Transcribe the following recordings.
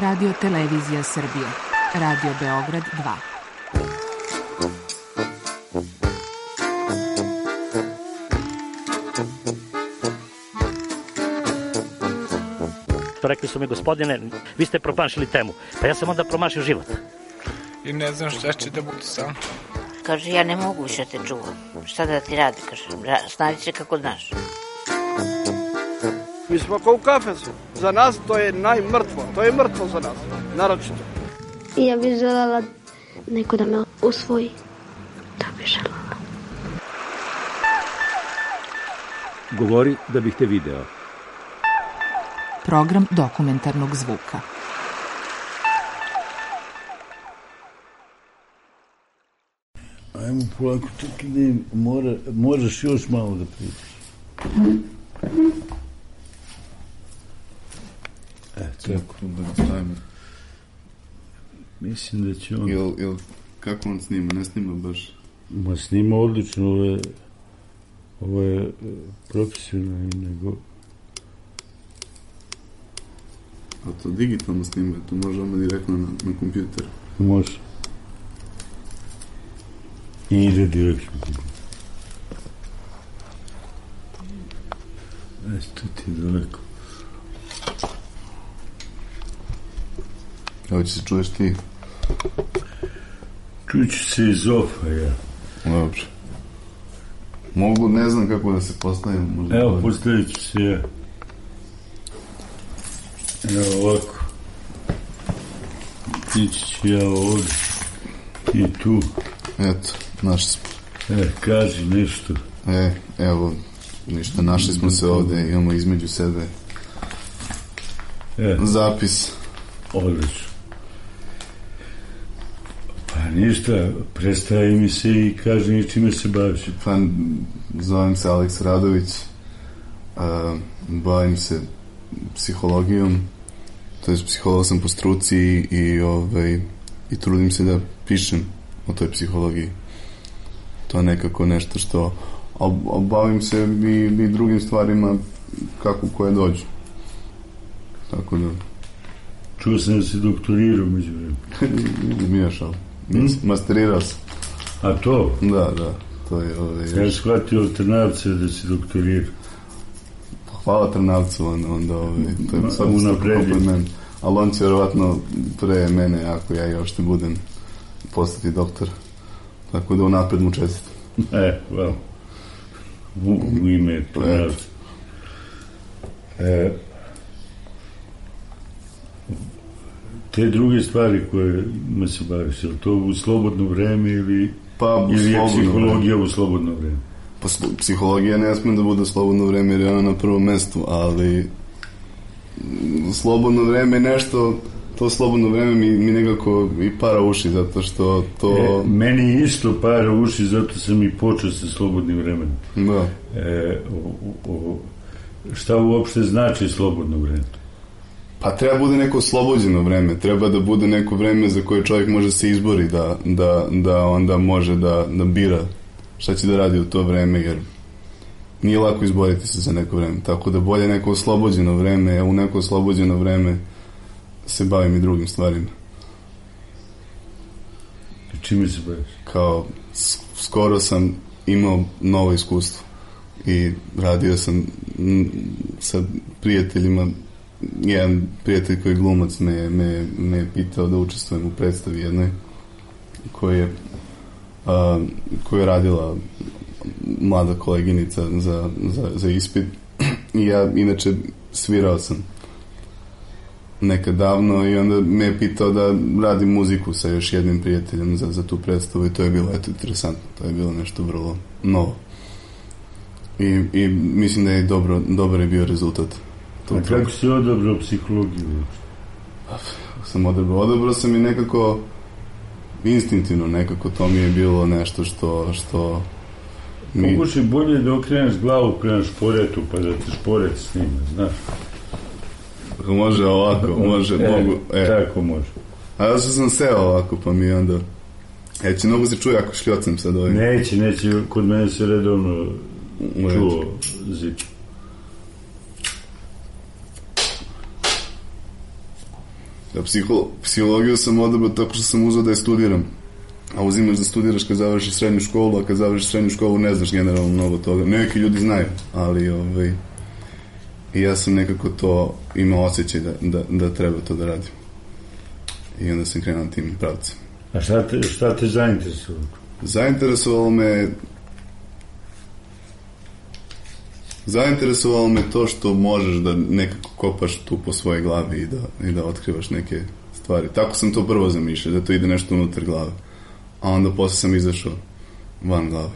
Radio Televizija Srbije. Radio Beograd 2. Rekli su mi, gospodine, vi ste promašili temu. Pa ja sam onda promašio život. I ne znam šta će da bude sam. Kaže, ja ne mogu više te čuvam. Šta da ti radi, kaže, snađi se kako znaš. Mi smo kao u kafesu. Za nas to je najmrtvo. To je mrtvo za nas, naročito. I ja bih želela neko da me usvoji. To bih želela. Govori da bih te video. Program dokumentarnog zvuka. Ajmo polako, čekaj da im moraš još malo da pričaš. Tako da stavimo. Mislim da će on... Jel, kako on snima? Ne snima baš? Ma snima odlično, ovo je profesionalno, nego... A to digitalno snima, to može odmah direktno na kompjuter? Može. I ide direktno. Tu ti je daleko. Evo će se čuješ ti? Čuću se iz ofa, ja. Dobro. Mogu, ne znam kako da se postavim. Možda evo, postavit ću se ja. Evo ovako. Ići ću ja ovdje. I tu. Eto, našli smo. Kaži nešto. Evo, ništa, našli smo se ovdje, imamo između sebe zapis. Odlično. Pa ništa, predstavi mi se i kaži mi čime se baviš. Pa, zovem se Aleks Radović, bavim se psihologijom, to je psiholog sam po struci i trudim se da pišem o toj psihologiji. To je nekako nešto što bavim se i drugim stvarima kako koje dođu. Tako da... Čuo sam da si doktorirao među vremenu. Zmijaš, ali masterirao sam. A to? Da, to je... Ja shvatio od Trnavca da si doktorirao. Hvala Trnavcu, onda to je sad unapredio. Ali on će vjerovatno pre mene, ako ja još ne budem, postati doktor. Tako da unapred mu čestitam. Hvala. U ime Trnavca. Te druge stvari kojima se baviš, je li to u slobodno vreme ili je psihologija u slobodno vreme? Pa psihologija ne smije da bude slobodno vreme jer je ona na prvom mestu, ali slobodno vreme je nešto, to slobodno vreme mi nekako i para uši, zato što to... Meni isto para uši, zato sam i počeo sa slobodnim vremenom. Da. Šta uopšte znači slobodno vreme? Pa treba bude neko oslobođeno vreme, treba da bude neko vreme za koje čovjek može se izbori, da onda može da bira šta će da radi u to vreme, jer nije lako izboriti se za neko vreme, tako da bolje neko oslobođeno vreme, a u neko oslobođeno vreme se bavim i drugim stvarima. Čime se baviš? Kao, skoro sam imao novo iskustvo i radio sam sa prijateljima. Jedan prijatelj koji je glumac me je pitao da učestvujem u predstavi jednoj koju je radila mlada koleginica za ispit i ja inače svirao sam nekad davno i onda me je pitao da radim muziku sa još jednim prijateljem za tu predstavu i to je bilo interesantno, to je bilo nešto vrlo novo i mislim da je dobar je bio rezultat. A kako si odabrao psihologiju? Odabrao sam i nekako instinktivno, nekako to mi je bilo nešto što Pokušaj bolje da okreneš glavu prema šporetu, pa da te šporet snima, znaš? Može ovako, mogu. Tako može. A ja sam seo ovako, pa mi onda... će mnogo se čuje ako šljocam sad ovim. Neće, kod mene se redovno čuo zid. Psihologiju sam odabrao tako što sam uzeo da je studiram. A uzimaš da studiraš kad završiš srednju školu, a kad završiš srednju školu ne znaš generalno mnogo toga. Neki ljudi znaju, ali i ja sam nekako to imao osjećaj da treba to da radim. I onda sam krenuo tim pravcem. A šta te zainteresovalo? Zainteresovalo me to što možeš da nekako kopaš tu po svojoj glavi i da otkrivaš neke stvari. Tako sam to prvo zamišljao, da to ide nešto unutar glave. A onda posle sam izašao van glave.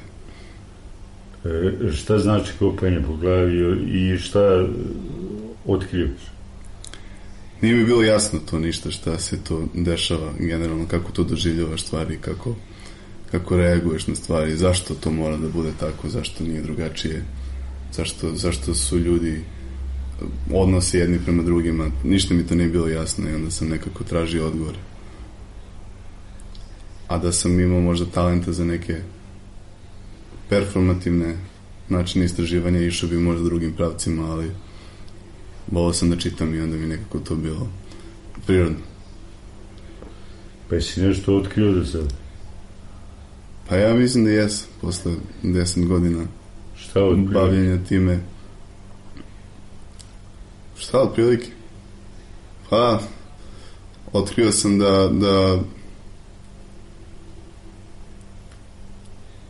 Šta znači kopanje po glavi i šta otkrivaš? Nije mi bilo jasno to ništa, šta se to dešava generalno, kako to doživljavaš stvari, kako reaguješ na stvari, zašto to mora da bude tako, zašto nije drugačije, zašto su ljudi odnose jedni prema drugima. Ništa mi to nije bilo jasno i onda sam nekako tražio odgovore. A da sam imao možda talenta za neke performativne načine istraživanja, išao bi možda drugim pravcima, ali volao sam da čitam i onda mi nekako to bilo prirodno. Pa jesi nešto otkrio do sada? Pa ja mislim da jesam, posle 10 godina bavljenja time. Šta otprilike? Pa otkrio sam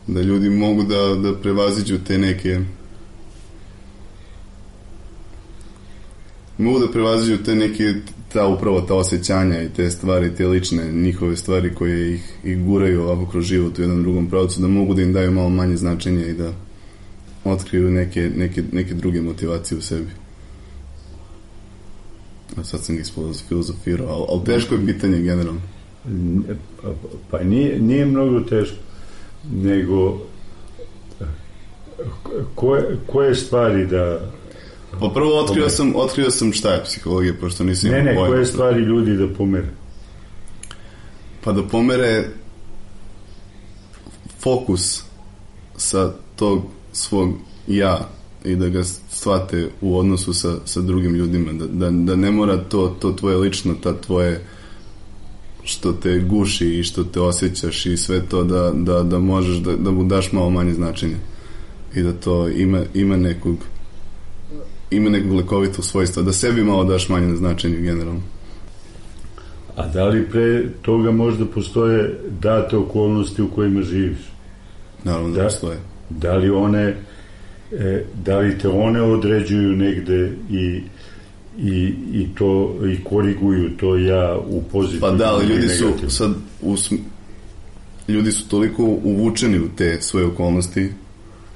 da ljudi mogu da prevaziđu te neke upravo ta osjećanja i te stvari, te lične njihove stvari koje ih guraju ovako kroz život u jednom drugom pravcu, da mogu da im daju malo manje značenja i da otkriju neke druge motivacije u sebi. A sad sam ih filozofirao, ali teško je pitanje generalno. Pa nije mnogo teško, nego koje stvari da... Pa prvo otkrio sam šta je psihologija, pošto nisam imao pojma. Koje stvari ljudi da pomere? Pa da pomere fokus sa tog svog ja i da ga shvate u odnosu sa drugim ljudima, da ne mora to tvoje lično, ta tvoje što te guši i što te osjećaš i sve to da možeš da mu daš malo manje značenja i da to ima nekog lekovitog svojstva, da sebi malo daš manje na značenju generalno. A da li pre toga možda postoje date okolnosti u kojima živiš? Naravno da postoje. Da li te one određuju negde i koriguju to ja u pozitivnu? Pa da, ali ljudi su toliko uvučeni u te svoje okolnosti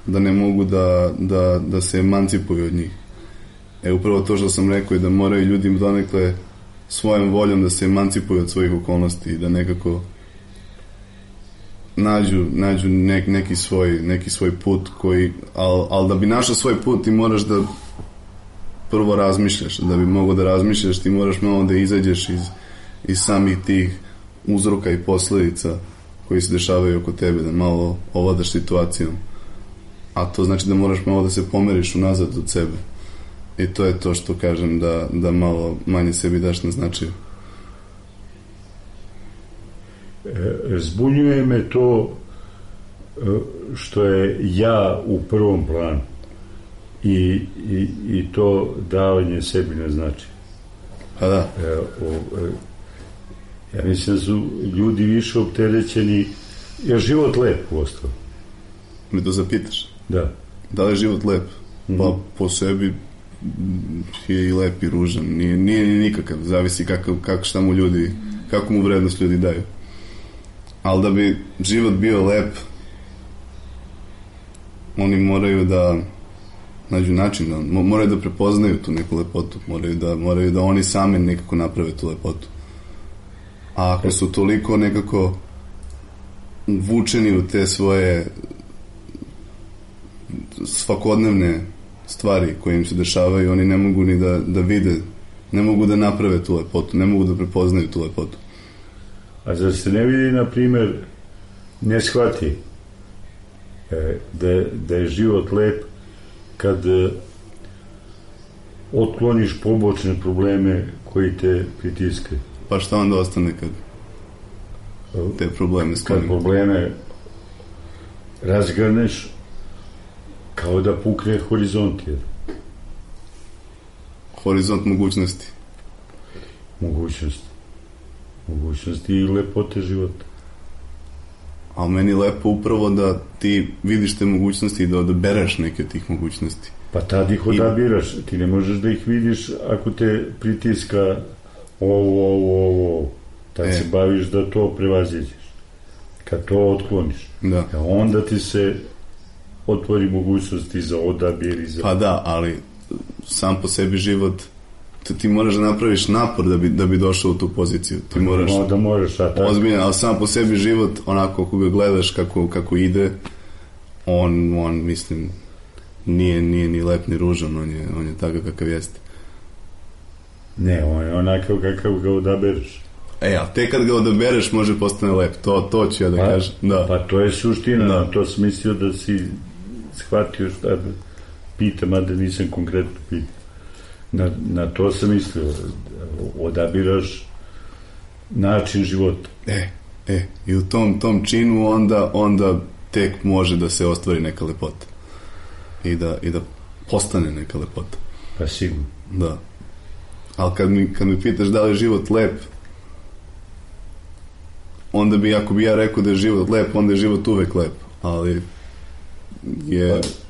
da ne mogu da se emancipuju od njih. Upravo to što sam rekao je da moraju ljudi donekle svojom voljom da se emancipuju od svojih okolnosti i da nekako nađu neki svoj put koji, ali da bi našao svoj put ti moraš da prvo razmišljaš, da bi mogao da razmišljaš ti moraš malo da izađeš iz samih tih uzroka i posledica koji se dešavaju oko tebe, da malo ovladaš situacijom, a to znači da moraš malo da se pomeriš unazad od sebe i to je to što kažem da malo manje sebi daš na značaju. Zbunjuje me to što je ja u prvom planu i to davanje sebi na značaj. Pa da. Ja mislim da su ljudi više opterećeni. Je život lep u osnovu? Me to zapitaš? Da. Da li je život lep? Pa po sebi je i lep i ružan. Nije nikakav. Zavisi šta mu ljudi, kako mu vrednost ljudi daju. Ali da bi život bio lep, oni moraju da nađu način, moraju da prepoznaju tu neku lepotu, moraju da oni sami nekako naprave tu lepotu. A ako su toliko nekako uvučeni u te svoje svakodnevne stvari koje im se dešavaju, oni ne mogu ni da vide, ne mogu da naprave tu lepotu, ne mogu da prepoznaju tu lepotu. A zar se ne vidi, na primer, ne shvati da je život lep kad otkloniš pobočne probleme koji te pritiskaju? Pa šta onda ostane kad te probleme Kad sklonimo? probleme razgrneš, kao da pukne horizont. Horizont mogućnosti. Mogućnosti i lepote života. Ali meni je lepo upravo da ti vidiš te mogućnosti i da odabereš neke od tih mogućnosti. Pa tad ih odabiraš. Ti ne možeš da ih vidiš ako te pritiska ovo. Tad se baviš da to prevaziđeš. Kad to otkloniš. Da. Onda ti se otvori mogućnosti za odabir i za... Pa da, ali sam po sebi život, ti moraš da napraviš napor da bi došao u tu poziciju. Ti moraš... Da moraš, ozbiljno, ali sam po sebi život, onako kako ga gledaš, kako ide, on mislim, nije ni lep ni ružan, on je takav kakav jeste. Ne, on je onakav kakav ga odabereš. A te kad ga odabereš može postane lep, to ću ja da kažem. Da. Pa to je suština, da. To sam mislio da si shvatio šta da pitam, a da nisam konkretno pitao. Na to sam mislio, odabiraš način života. I u tom činu onda tek može da se ostvari neka lepota. I da postane neka lepota. Pa sigurno. Da. Ali kad mi pitaš da li je život lep, onda bi, ako bi ja rekao da je život lep, onda je život uvek lep. Ali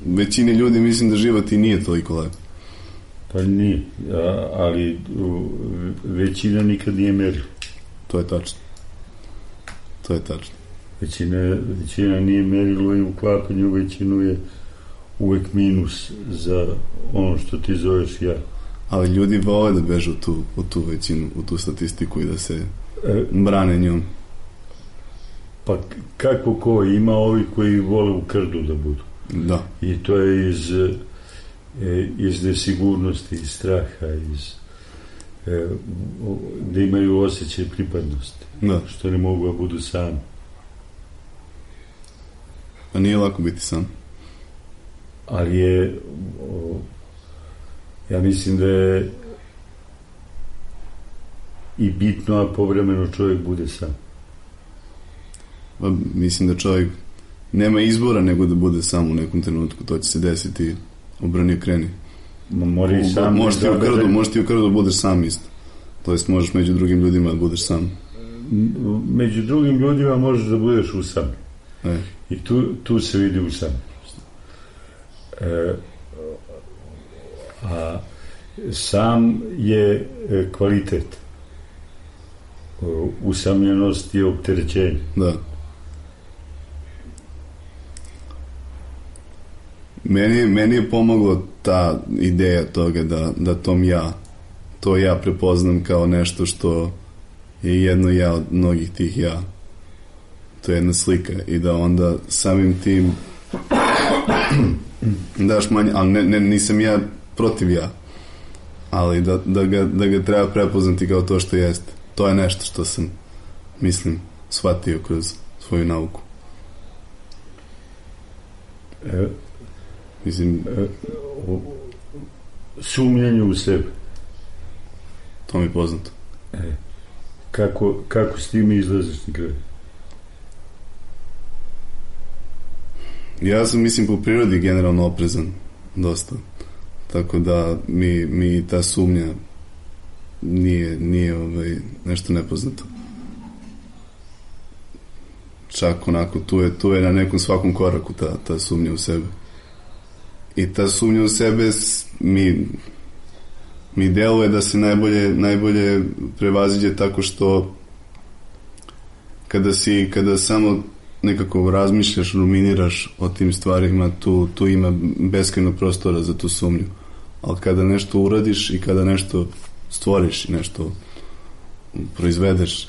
većini ljudi mislim da život i nije toliko lep. Pa nije, ali većina nikad nije merila. To je tačno. Većina nije merilo i uklapanje u većinu je uvek minus za ono što ti zoveš ja. Ali ljudi vole da bežu u tu većinu, u tu statistiku i da se brane njom. Pa kako ko, ima ovi koji vole u krdu da budu. Da. I to je iz nesigurnosti, iz straha, da imaju osjećaj pripadnosti. Da. Što ne mogu da budu sami. Pa nije lako biti sam. Ali je ja mislim da je i bitno, a povremeno čovjek bude sam. Pa mislim da čovjek nema izbora nego da bude sam u nekom trenutku. To će se desiti, obrani i kreni. Možeš ti u krdu budeš sam isto. To jest možeš među drugim ljudima da budeš sam. Među drugim ljudima možeš da budeš usamljen. I tu se vidi usamljenost. A sam je kvalitet. Usamljenost je opterećenje. Da. Meni je pomoglo ta ideja toga da to ja prepoznam kao nešto što je jedno ja od mnogih tih ja. To je jedna slika i da onda samim tim daš manje, ali nisam ja protiv ja, ali da ga treba prepoznati kao to što jeste. To je nešto što sam, mislim, shvatio kroz svoju nauku. Mislim, sumnjanje u sebe. To mi je poznato. Kako s tim izlaziš na kraju? Ja sam, mislim, po prirodi generalno oprezan dosta. Tako da mi ta sumnja nije nešto nepoznato. Čak onako tu je na nekom svakom koraku ta sumnja u sebe. I ta sumnja u sebe mi deluje da se najbolje prevaziđe tako što kada samo nekako razmišljaš, ruminiraš o tim stvarima, tu ima beskrajno prostora za tu sumnju. Ali kada nešto uradiš i kada nešto stvoriš i nešto proizvedeš,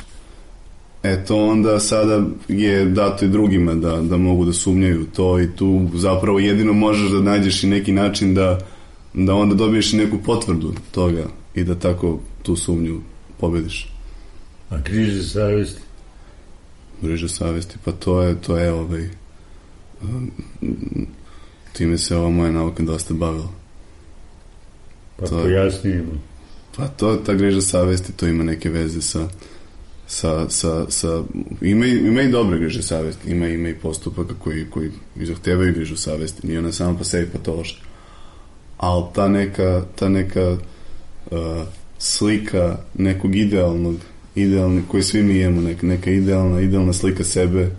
eto onda sada je dato i drugima da mogu da sumnjaju to, i tu zapravo jedino možeš da nađeš i neki način da onda dobiješ i neku potvrdu toga i da tako tu sumnju pobediš. A griže savesti? Griže savesti, pa to je time se ova moja nauka dosta bavila. Pa pojasnimo. Pa ta griža savesti, to ima neke veze sa ima i dobre griže savesti, ima i postupaka koji zahtevaju grižu savesti, nije ona sama po sebi patološka, ali ta neka slika nekog idealnog koji svi mi imamo, neka idealna slika sebe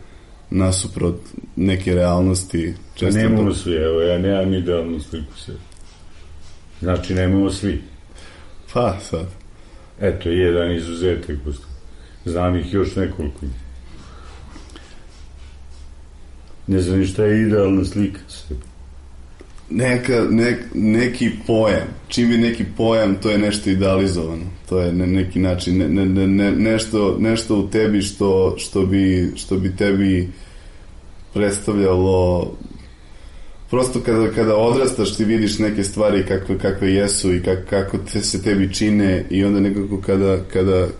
nasuprot neke realnosti. Nemamo svi, evo, ja nemam idealnu sliku sebe. Znači, nemamo svi. Pa, sad. Eto, jedan izuzetak. Znam ih još nekoliko. Ne znam ni šta je idealna slika sebe. Neki pojam. Čim je neki pojam, to je nešto idealizovano. To je na neki način nešto u tebi što bi tebi predstavljalo. Prosto kada odrastaš ti vidiš neke stvari kakve jesu i kako se tebi čine i onda nekako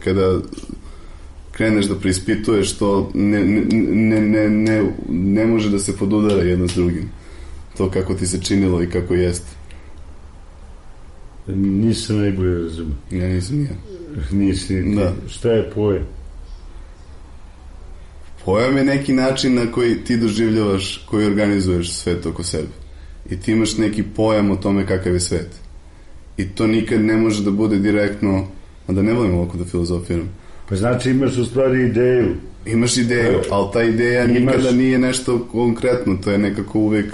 kada kreneš da preispituješ to ne može da se podudara jedno s drugim. To kako ti se činilo i kako jeste. Nisam najbolje razumio. Ja nisam ja. Nisi. Da. Šta je pojam? Pojam je neki način na koji ti doživljavaš, koji organizuješ svet oko sebe. I ti imaš neki pojam o tome kakav je svet. I to nikad ne može da bude direktno, a da ne volim ovako da filozofiram. Pa znači imaš u stvari ideju. Imaš ideju, ali ta ideja nikada nije nešto konkretno, to je nekako uvek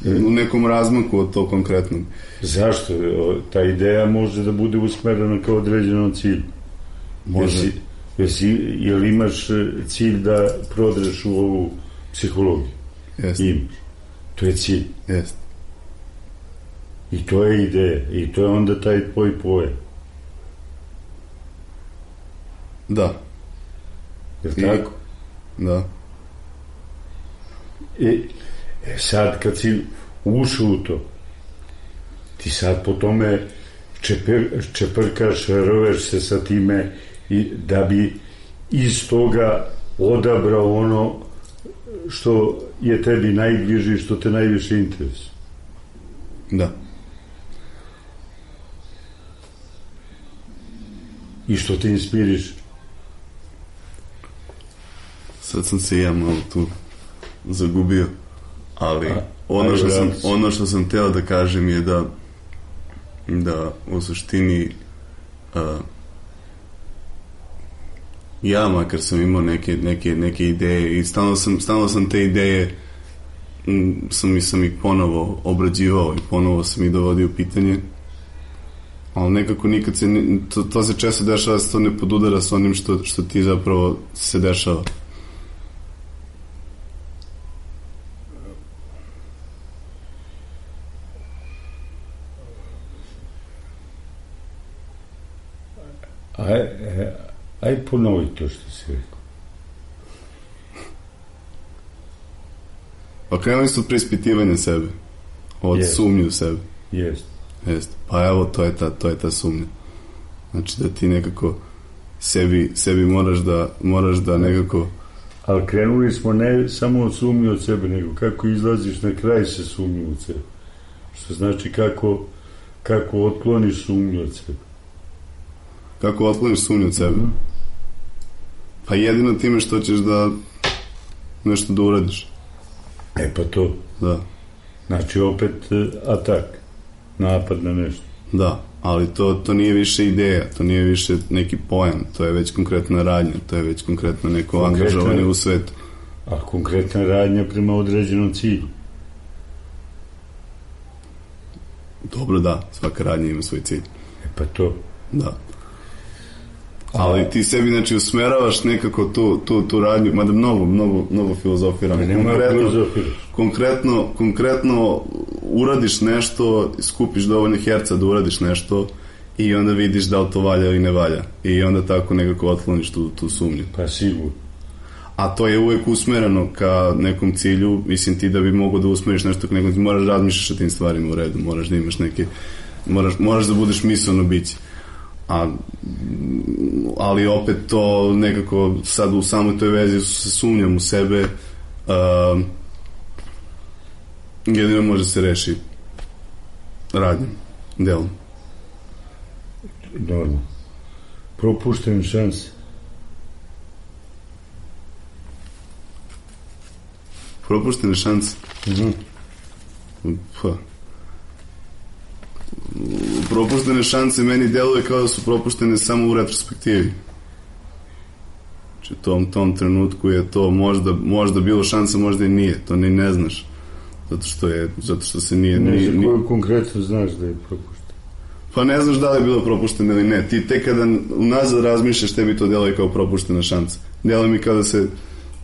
u nekom razmaku od tog konkretnog. Zašto? Ta ideja može da bude usmerena kao određenom cilju. Može. Jel imaš cilj da prodreš u ovu psihologiju? Jeste. Imaš. To je cilj. Jeste. I to je ideja. I to je onda taj tvoj pojam. Da. Jel tako? Da. Sad kad si ušao u to, ti sad po tome čeprkaš, roveš se sa time i da bi iz toga odabrao ono što je tebi najbliže i što te najviše interesuje. Da. I što te inspiriš. Sad sam se ja malo tu zagubio, ali ono što sam teo da kažem je da u suštini ja makar sam imao neke ideje i stalno sam te ideje sam ih ponovo obrađivao i ponovo sam ih dovodio u pitanje, ali nekako nikad se to se često dešava da se to ne podudara s onim što ti zapravo se dešava. Aj ponovi to što si rekao. Pa krenuli su od preispitivanja sebe, od sumnje u sebe. Jest. Pa evo, to je ta sumnja. Znači da ti nekako sebi moraš da nekako... Ali krenuli smo ne samo od sumnje od sebe, nego kako izlaziš na kraj se sumnje od sebe. Što znači kako otkloniš sumnju od sebe. Kako otkloniš sumnju od sebe? Pa jedino time što ćeš da nešto da uradiš. Pa to. Da. Znači opet atak, napad na nešto. Da, ali to nije više ideja, to nije više neki pojam, to je već konkretna radnja, to je već konkretno neko angažovanje u svetu. A konkretna radnja prema određenom cilju. Dobro, da, svaka radnja ima svoj cilj. Pa to. Da. Ali ti sebi, znači, usmeravaš nekako tu radnju, mada mnogo filozofiram. Konkretno uradiš nešto, skupiš dovoljno herca da uradiš nešto i onda vidiš da li to valja ili ne valja. I onda tako nekako otkloniš tu sumnju. Pa sigurno. A to je uvek usmereno ka nekom cilju, mislim ti da bi mogo da usmeriš nešto ka nekom cilju, moraš razmišljaš o tim stvarima u redu, moraš da imaš neke, moraš da budeš misleno biće. Ali opet to nekako sad u samoj toj vezi sa sumnjom u sebe jedino može se reši radnjom, delom. normalno. Propuštene šanse. Propuštene šanse? Pa. Propuštene šanse meni deluje kao da su propuštene samo u retrospektivi. Znači, u tom trenutku je to možda bilo šansa, možda i nije. To ni ne znaš. Zato što se nije... Ne znam koju konkretno znaš da je propušteno. Pa ne znaš da li je bilo propušteno ili ne. Ti tek kada unazad razmišljaš, tebi to deluje kao propuštena šansa. Deluje mi kao da se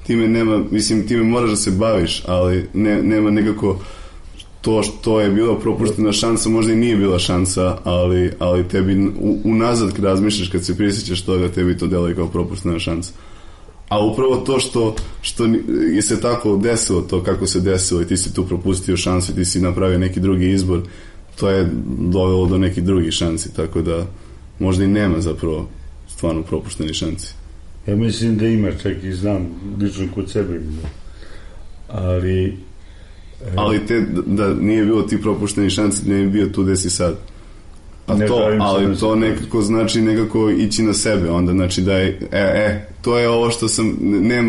time nema, mislim, time moraš da se baviš, ali nema nekako to što je bila propuštena šansa, možda i nije bila šansa, ali tebi unazad kad razmišljaš, kad se prisjećaš toga, tebi to deluje kao propuštena šansa. A upravo to što je se tako desilo, to kako se desilo i ti si tu propustio šansu i ti si napravio neki drugi izbor, to je dovelo do nekih drugih šansi, tako da možda i nema zapravo stvarno propušteni šansi. Ja mislim da ima, čak i znam lično kod sebe, ali da nije bilo ti propušteni šansi, ne bi bio tu gde si sad. Ali to nekako znači nekako ići na sebe, onda znači da je to je ovo što sam,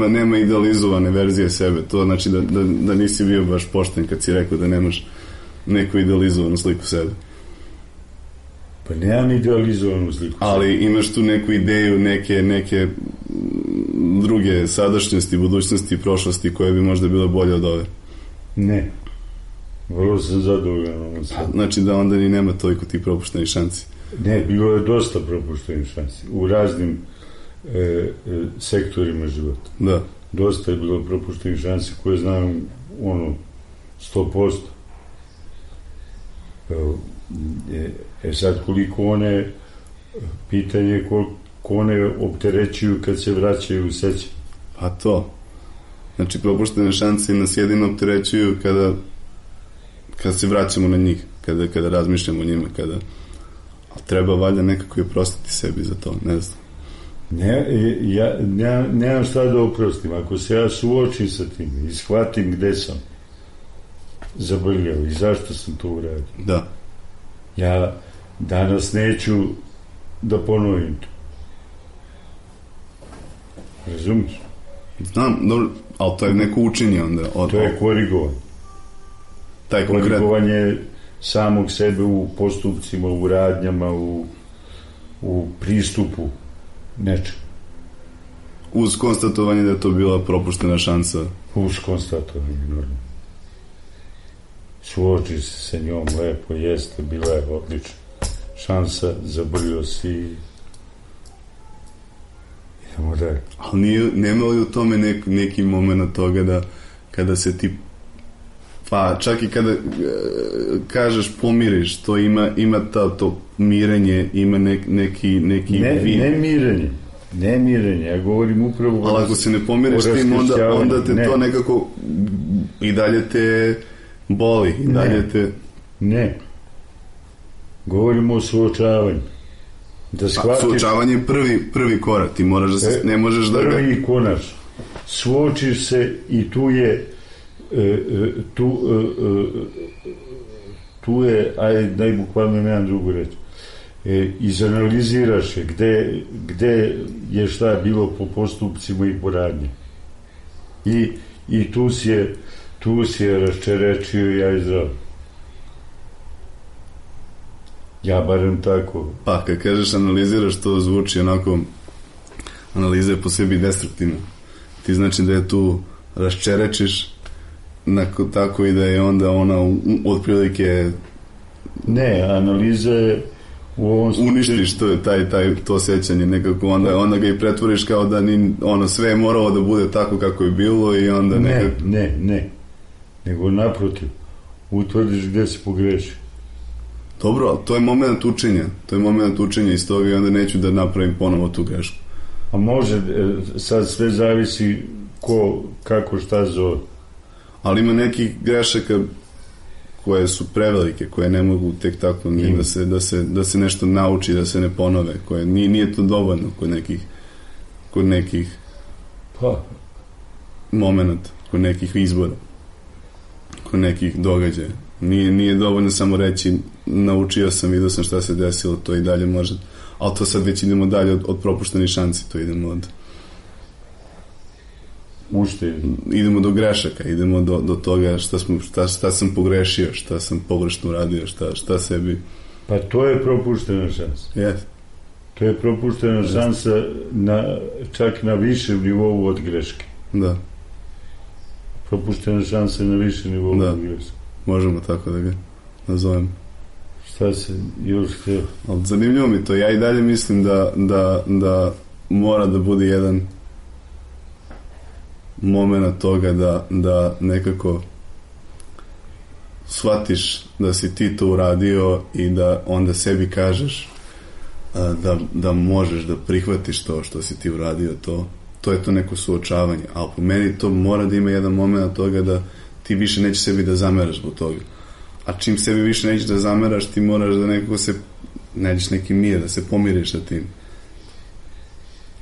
nema idealizovane verzije sebe, to znači da nisi bio baš pošten kad si rekao da nemaš neku idealizovanu sliku sebe. Pa nemam idealizovanu sliku. Ali imaš tu neku ideju, neke druge sadašnjosti, budućnosti i prošlosti koje bi možda bile bolje od ove. Ne. Vrlo sam zadovoljan. Znači da onda ni nema toliko tih propuštenih šansi. Ne, bilo je dosta propuštenih šansi. U raznim sektorima života. Da. Dosta je bilo propuštenih šansi koje znam 100%. Sad koliko one pitanje koliko one opterećuju kad se vraćaju u sećanje. Pa to. Znači propuštene šanse nas jedino opterećuju kada se vraćamo na njih, kada razmišljamo o njima, ali treba valjda nekako i oprostiti sebi za to, ne znam. Nemam šta da oprostim. Ako se ja suočim sa tim i shvatim gde sam zabrljao i zašto sam to uradio. Da. Ja danas neću da ponovim to. Razumiješ? Znam, dobro, ali to je neko učenje onda. To je korigovanje. Korigovanje samog sebe u postupcima, u radnjama, u pristupu nečemu. Uz konstatovanje da je to bila propuštena šansa. Uz konstatovanje, normalno. Suoči se sa njom, lepo, jeste, bila je odlična šansa, zabrljio si i idemo dalje. Ali nema li u tome neki moment toga da kada se ti, pa čak i kada kažeš pomiriš, to ima to mirenje, ima neki ne mirenje, ja govorim upravo ali ako se ne pomiriš tim, onda te to nekako i dalje te boli, i dalje te... Ne. Govorimo o suočavanju. Suočavanje je prvi korak, ti moraš da se, ne možeš da... Prvi konač. Suočiš se i tu je ajde, najbukvalno nemam drugu reći. Izanaliziraš je gde je šta bilo po postupcima i po radnji. I tu si je raščerečio i ja izdrav. Ja barem tako. Pa, kad kažeš analiziraš, to zvuči onako, analiza je po sebi destruktivna. Ti znači da je tu raščerečiš tako i da je onda ona otprilike... Ne, analiza je u ovom slučaju... Uništiš to sećanje nekako, onda ga i pretvoriš kao da sve je moralo da bude tako kako je bilo i onda nekako... Ne. Nego naprotiv, utvrdiš gde si pogrešio. Dobro, to je moment učenja iz toga i onda neću da napravim ponovo tu grešku. A može, sad sve zavisi kako šta zove. Ali ima nekih grešaka koje su prevelike, koje ne mogu tek tako da se nešto nauči, da se ne ponove, koje nije to dovoljno kod nekih momenta, kod nekih izbora, kod nekih događaja. Nije dovoljno samo reći naučio sam, vidio sam šta se desilo, to i dalje može. ali to sad već idemo dalje od propuštenih šanci, to idemo od... Idemo do grešaka, idemo do toga šta sam pogrešio, šta sam pogrešno uradio, šta sebi... Pa to je propuštena šansa. Yes. To je propuštena šansa čak na višem nivou od greške. Da. Propuštena šansa na višem nivou od greške. Možemo tako da ga nazovemo. Šta se još htio? Ali zanimljivo mi to. Ja i dalje mislim da mora da bude jedan moment toga da nekako shvatiš da si ti to uradio i da onda sebi kažeš da možeš da prihvatiš to što si ti uradio, to je to neko suočavanje, ali po meni to mora da ima jedan moment toga da ti više nećeš sebi da zameraš zbog toga, a čim sebi više nećeš da zameraš, ti moraš da nekako se nađeš neki mir, da se pomiriš sa tim.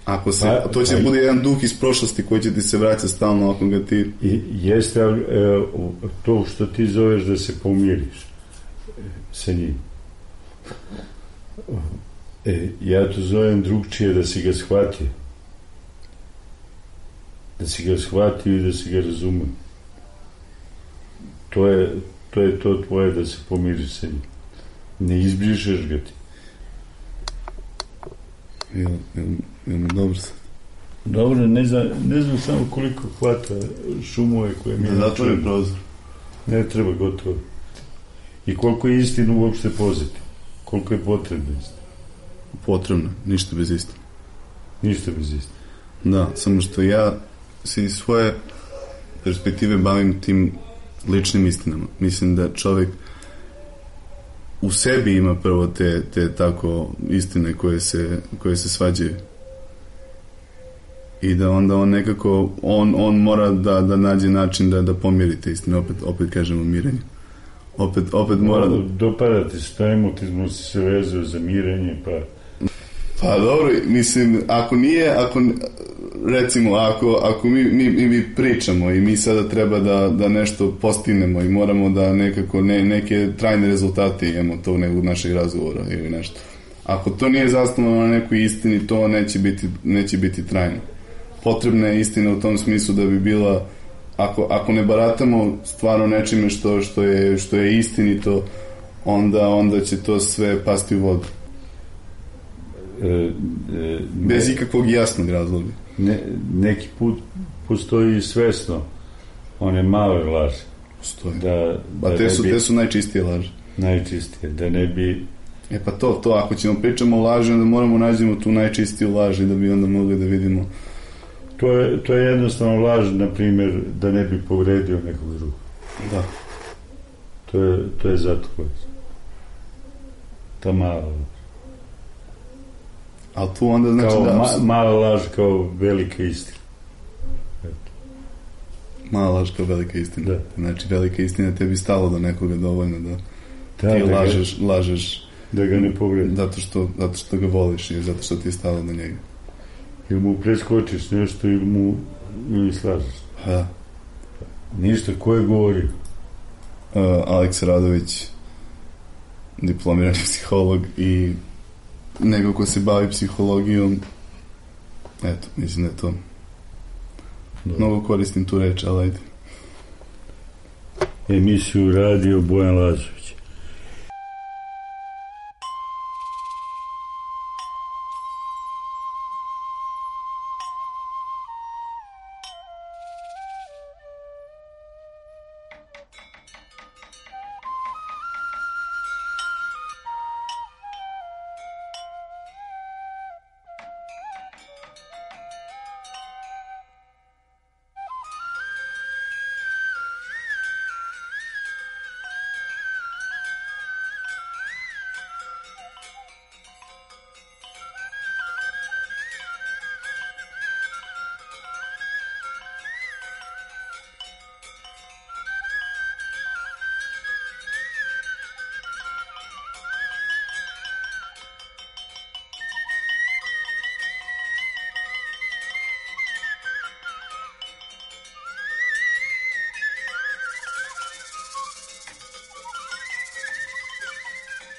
Ako se, to će bude jedan duh iz prošlosti koji će ti se vraćati stalno ako ga ti... Jeste to što ti zoveš da se pomiriš sa njim. Ja to zovem drugčije, da si ga shvatio. Da si ga shvatio i da si ga razumio. To je to tvoje, da se pomiriš sa njim. Ne izbrišeš ga ti. Dobro sad. Dobro, ne znam samo koliko hvata šumove koje mi... Da zatvorim prozor. Ne treba, gotovo. I koliko je istinu uopšte pozitivno. Koliko je potrebno istinu. Potrebno, ništa bez istine. Ništa bez istine. Da, samo što ja se iz svoje perspektive bavim tim ličnim istinama. Mislim da čovjek u sebi ima prvo te tako istine koje se svađaju. I da onda on nekako, on mora da nađe način da pomiri te istine. Opet kažemo mirenje. Opet mora da... Dopada ti se, taj emotizmu se vezuje za mirenje, pa... Pa dobro, mislim, ako mi pričamo i mi sada treba da nešto postignemo i moramo da nekako neke trajne rezultate imamo to nekog našeg razgovora ili nešto. Ako to nije zasnovano na nekoj istini, to neće biti trajno. Potrebna je istina u tom smislu da bi bila, ako ne baratamo stvarno nečime što je istinito, onda će to sve pasti u vodu. Bez ikakvog jasnog razloga. Neki put postoji svesno one male laži. Postoji. Te su najčistije laži. Najčistije, da ne bi... Pa to, ako ćemo pričamo o laži, onda moramo nađemo tu najčistiju laži da bi onda mogli da vidimo. To je jednostavno laž, na primjer, da ne bi povredio nekog drugog. Da. To je zato ta mala laž. Ali tu onda znači mala laž kao velika istina. Mala laž kao velika istina. Da. Znači velika istina tebi stalo do nekoga dovoljno da ti lažeš da ga ne povredi. Zato što ga voliš i zato što ti je stalo do njega. Ili mu preskočiš nešto ili slažeš. Da. Ništa, ko je govorio? Aleks Radović, diplomirani psiholog i nego ko se bavi psihologijom. Eto, mislim da je to. Mnogo koristim tu reč, ali ajde. Emisiju radio Bojan Lazović.